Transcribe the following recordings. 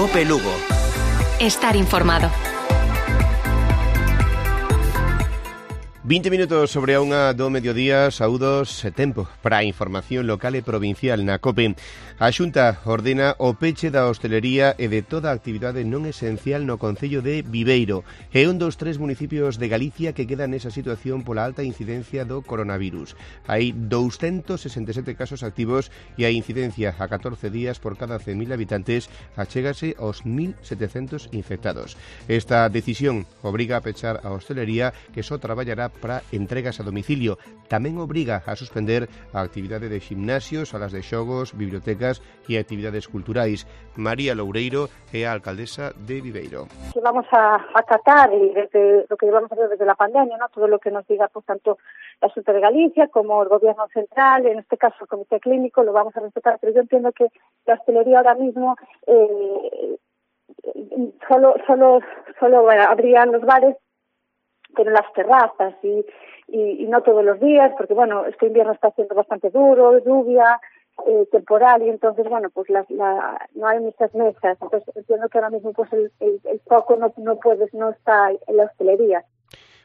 COPE Lugo. Estar informado. 20 minutos sobre a unha do mediodía, saúdos e tempo para a información local e provincial na COPE. A Xunta ordena o peche da hostelería e de toda a actividade non esencial no concello de Viveiro. É un dos 3 municipios de Galicia que quedan nesa situación pola alta incidencia do coronavirus. Hai 267 casos activos e a incidencia a 14 días por cada 100.000 habitantes achégase aos 1.700 infectados. Esta decisión obriga a pechar a hostelería que só traballará para entregas a domicilio. Tamén obriga a suspender a actividade de gimnasios, salas de xogos, bibliotecas e actividades culturais. María Loureiro é a alcaldesa de Viveiro. Vamos a acatar desde lo que llevamos a hacer desde la pandemia, ¿no? Todo lo que nos diga pues tanto la Xunta de Galicia como el Gobierno Central, en este caso el Comité Clínico, lo vamos a respetar, pero yo entiendo que la hostelería ahora mismo solo abrían los bares, pero las terrazas y no todos los días, porque bueno, este invierno está siendo bastante duro, lluvia, temporal, y entonces bueno, pues no hay muchas mesas, entonces entiendo que ahora mismo pues el foco no está en la hostelería.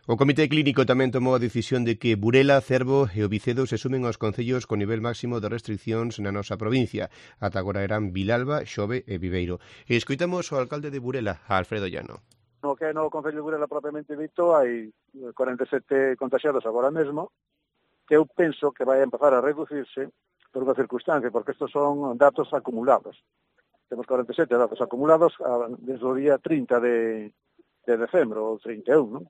O Comité Clínico tamén tomou a decisión de que Burela, Cervo e Ovicedo se sumen aos concellos con nivel máximo de restriccións na nosa provincia. Ata agora eran Vilalba, Xove e Viveiro. E escoitamos o alcalde de Burela, Alfredo Llano. No que é no Concello de Burela propiamente dito, hai 47 contagiados agora mesmo, que eu penso que vai a empezar a reducirse por unha circunstancia, porque estes son datos acumulados. Temos 47 datos acumulados desde o día 30 de decembro, ou 31, non?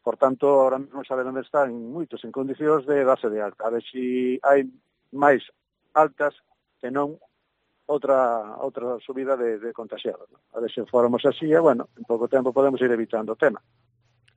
Por tanto, ahora mesmo xa onde están moitos en condicións de darse de alta. A ver se hai máis altas que non outra subida de contagiados. A ver se formos así, e, bueno, en pouco tempo podemos ir evitando o tema.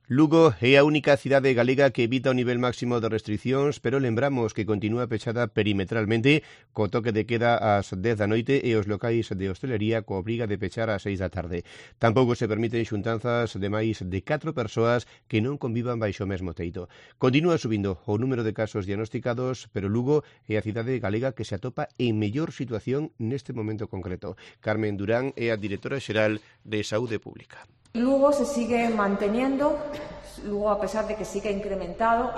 Lugo é a única cidade galega que evita o nivel máximo de restriccións, pero lembramos que continúa pechada perimetralmente co toque de queda ás 10 da noite e os locais de hostelería co obriga de pechar ás 6 da tarde. Tampouco se permiten xuntanzas de máis de 4 persoas que non convivan baixo o mesmo teito. Continúa subindo o número de casos diagnosticados, pero Lugo é a cidade galega que se atopa en mellor situación neste momento concreto. Carmen Durán é a directora xeral de Saúde Pública. Lugo se sigue manteniendo, Lugo a pesar de que sí que ha incrementado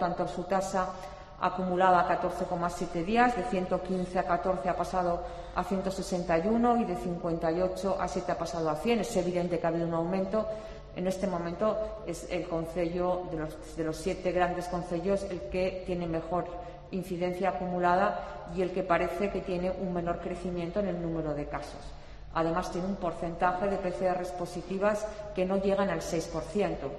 tanto su tasa acumulada a 14,7 días, de 115 a 14 ha pasado a 161 y de 58 a 7 ha pasado a 100. Es evidente que ha habido un aumento. En este momento es el concello de los 7 grandes concellos el que tiene mejor incidencia acumulada y el que parece que tiene un menor crecimiento en el número de casos. Además, tiene un porcentaje de PCRs positivas que no llegan al 6%.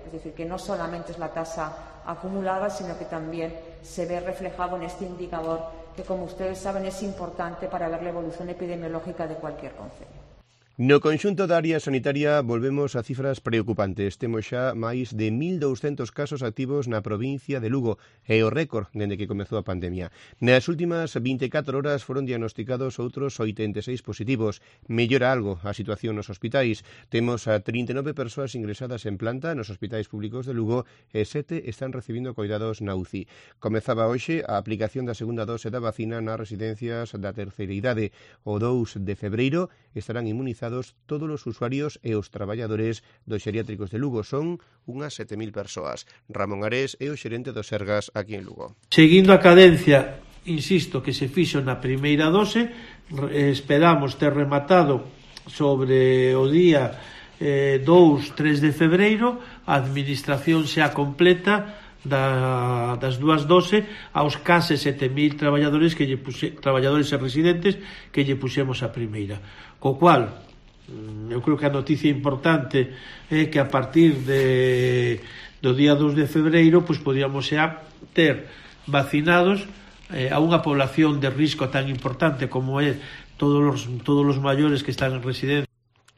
Es decir, que no solamente es la tasa acumulada, sino que también se ve reflejado en este indicador que, como ustedes saben, es importante para ver la evolución epidemiológica de cualquier concello. No conxunto da área sanitaria volvemos a cifras preocupantes. Temos xa máis de 1.200 casos activos na provincia de Lugo. É o récord dende que comezou a pandemia. Nas últimas 24 horas foron diagnosticados outros 86 positivos. Mellora algo a situación nos hospitais. Temos a 39 persoas ingresadas en planta nos hospitais públicos de Lugo e 7 están recibindo coidados na UCI. Comezaba hoxe a aplicación da segunda dose da vacina nas residencias da terceira idade. O 2 de febreiro estarán inmunizados todos os usuarios e os traballadores dos xeriátricos de Lugo. Son unhas 7.000 persoas. Ramón Arés é o xerente dos Sergas aquí en Lugo. Seguindo a cadencia, insisto, que se fixo na primeira dose, esperamos ter rematado sobre o día 2-3 de febreiro, a administración xa completa das dúas doses aos case 7.000 traballadores traballadores e residentes que lle puxemos a primeira. Co cual, eu creo que a noticia importante é que a partir do día 2 de febreiro pois podíamos xa ter vacinados a unha población de risco tan importante como é todos os maiores que están en residencia.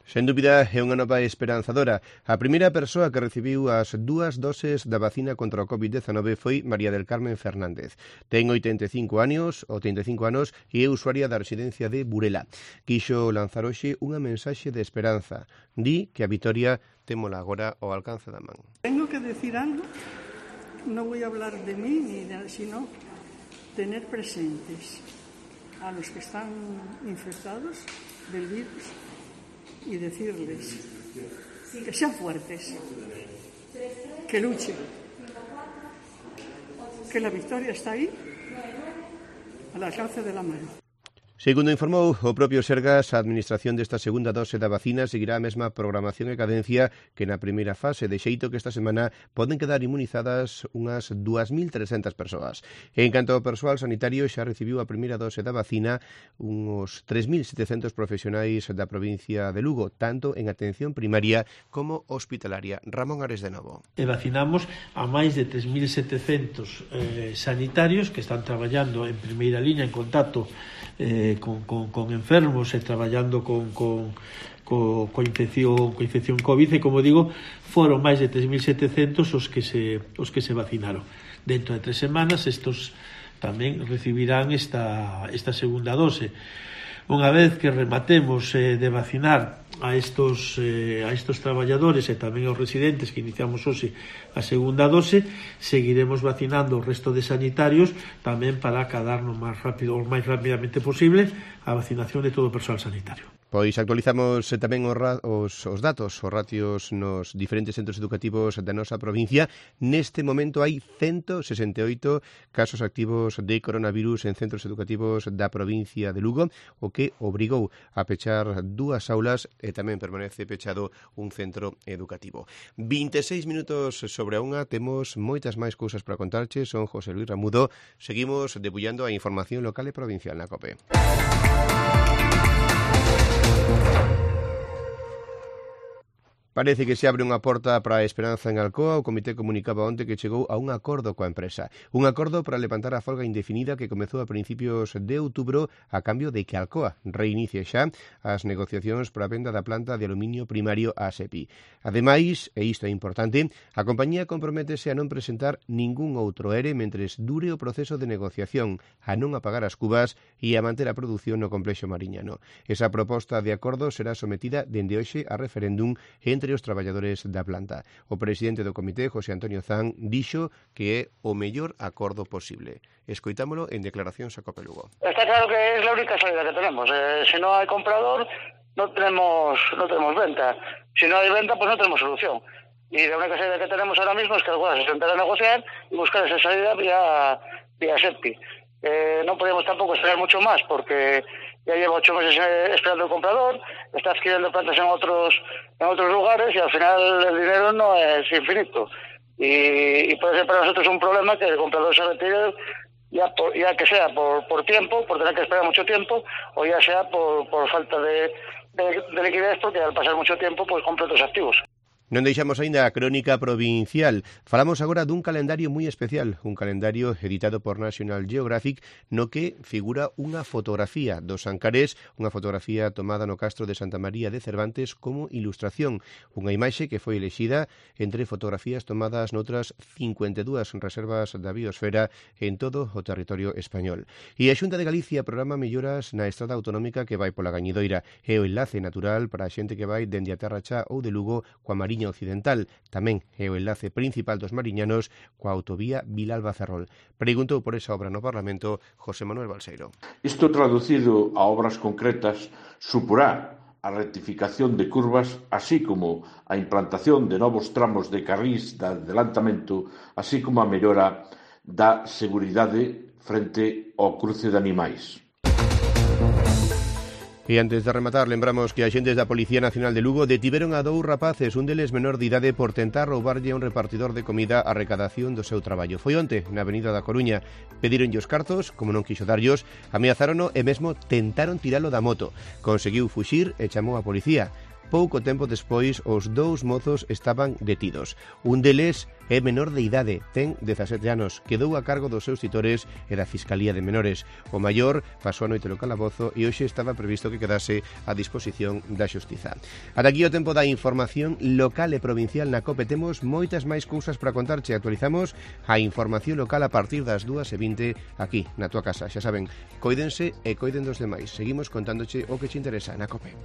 Sen dúbida, é unha nova esperanzadora. A primeira persoa que recibiu as 2 doses da vacina contra o COVID-19 foi María del Carmen Fernández. Ten 85 anos e é usuaria da residencia de Burela. Quixo lanzar hoxe unha mensaxe de esperanza. Di que a vitoria témola agora ao alcance da man. Tengo que decir algo, no voy a hablar de mí, sino tener presentes a los que están infectados del virus y decirles que sean fuertes, que luchen, que la victoria está ahí, al alcance de la mano. Segundo informou o propio Sergas, a administración desta segunda dose da vacina seguirá a mesma programación e cadencia que na primeira fase, de xeito que esta semana poden quedar inmunizadas unhas 2.300 persoas. En canto ao persoal sanitario, xa recibiu a primeira dose da vacina uns 3.700 profesionais da provincia de Lugo, tanto en atención primaria como hospitalaria. Ramón Ares de novo. E vacinamos a máis de 3.700 sanitarios que están traballando en primeira liña en contacto con enfermos e traballando con infección COVID, e como digo, foron máis de 3.700 os que se vacinaron. Dentro de 3 semanas estos tamén recibirán esta segunda dose. Unha vez que rematemos de vacinar a estos traballadores e tamén aos residentes que iniciamos hoxe a segunda dose, seguiremos vacinando o resto de sanitarios tamén para acadar o máis rapidamente posible a vacinación de todo o persoal sanitario. Pois actualizamos tamén os datos, os ratios nos diferentes centros educativos da nosa provincia. Neste momento hai 168 casos activos de coronavirus en centros educativos da provincia de Lugo, o que obrigou a pechar 2 aulas e tamén permanece pechado un centro educativo. 26 minutos sobre a unha, temos moitas máis cousas para contarche. Son José Luis Ramudo. Seguimos debullando a información local e provincial na COPE. Parece que se abre unha porta para a esperanza en Alcoa. O comité comunicaba onte que chegou a un acordo coa empresa. Un acordo para levantar a folga indefinida que comezou a principios de outubro a cambio de que Alcoa reinicie xa as negociacións para a venda da planta de aluminio primario a SEPI. Ademais, e isto é importante, a compañía comprométese a non presentar ningún outro ERE mentres dure o proceso de negociación, a non apagar as cubas e a manter a produción no complexo mariñano. Esa proposta de acordo será sometida dende hoxe a referéndum entre os traballadores da planta. O presidente do comité, José Antonio Zan, dixo que é o mellor acordo posible. Escoitámolo en declaracións a COPE Lugo. Está claro que es la única salida que tenemos. Si no hay comprador, no tenemos venta. Si no hay venta, pues no tenemos solución. Y la única salida que tenemos ahora mismo es que Alcoa se sentará a negociar y buscar esa salida vía SEPI. No podemos tampoco esperar mucho más porque ya lleva 8 meses esperando el comprador, está adquiriendo plantas en otros lugares y al final el dinero no es infinito. Y puede ser para nosotros un problema que el comprador se retire, ya que sea por tiempo, por tener que esperar mucho tiempo, o ya sea por falta de liquidez, porque al pasar mucho tiempo pues compra otros activos. Non deixamos aínda a crónica provincial. Falamos agora dun calendario moi especial, un calendario editado por National Geographic no que figura unha fotografía dos Ancares, unha fotografía tomada no castro de Santa María de Cervantes como ilustración, unha imaxe que foi elexida entre fotografías tomadas noutras 52 reservas da biosfera en todo o territorio español. E a Xunta de Galicia programa melloras na estrada autonómica que vai pola Gañidoira e o enlace natural para a xente que vai dende a Terra Chá ou de Lugo coa Mariña Occidental, tamén é o enlace principal dos mariñanos coa autovía Vilalba-Ferrol. Preguntou por esa obra no Parlamento José Manuel Balseiro. Isto traducido a obras concretas suporá a rectificación de curvas, así como a implantación de novos tramos de carrís de adelantamento, así como a mellora da seguridade frente ao cruce de animais. E antes de rematar, lembramos que agentes da Policía Nacional de Lugo detiveron a 2 rapaces, un deles menor de idade, por tentar roubarlle a un repartidor de comida a recadación do seu traballo. Foi onte, na Avenida da Coruña. Pedíronlle os cartos, como non quixo darllos, ameazárono e mesmo tentaron tiralo da moto. Conseguiu fuxir e chamou a policía. Pouco tempo despois, os 2 mozos estaban detidos. Un deles é menor de idade, ten 17 anos, quedou a cargo dos seus titores e da Fiscalía de Menores. O maior pasou a noite no calabozo e hoxe estaba previsto que quedase a disposición da Xustiza. Ata aquí o tempo da información local e provincial na COPE. Temos moitas máis cousas para contarche. Actualizamos a información local a partir das 2:20 aquí, na tua casa. Xa saben, coídense e coiden dos demais. Seguimos contándoche o que che interesa na COPE.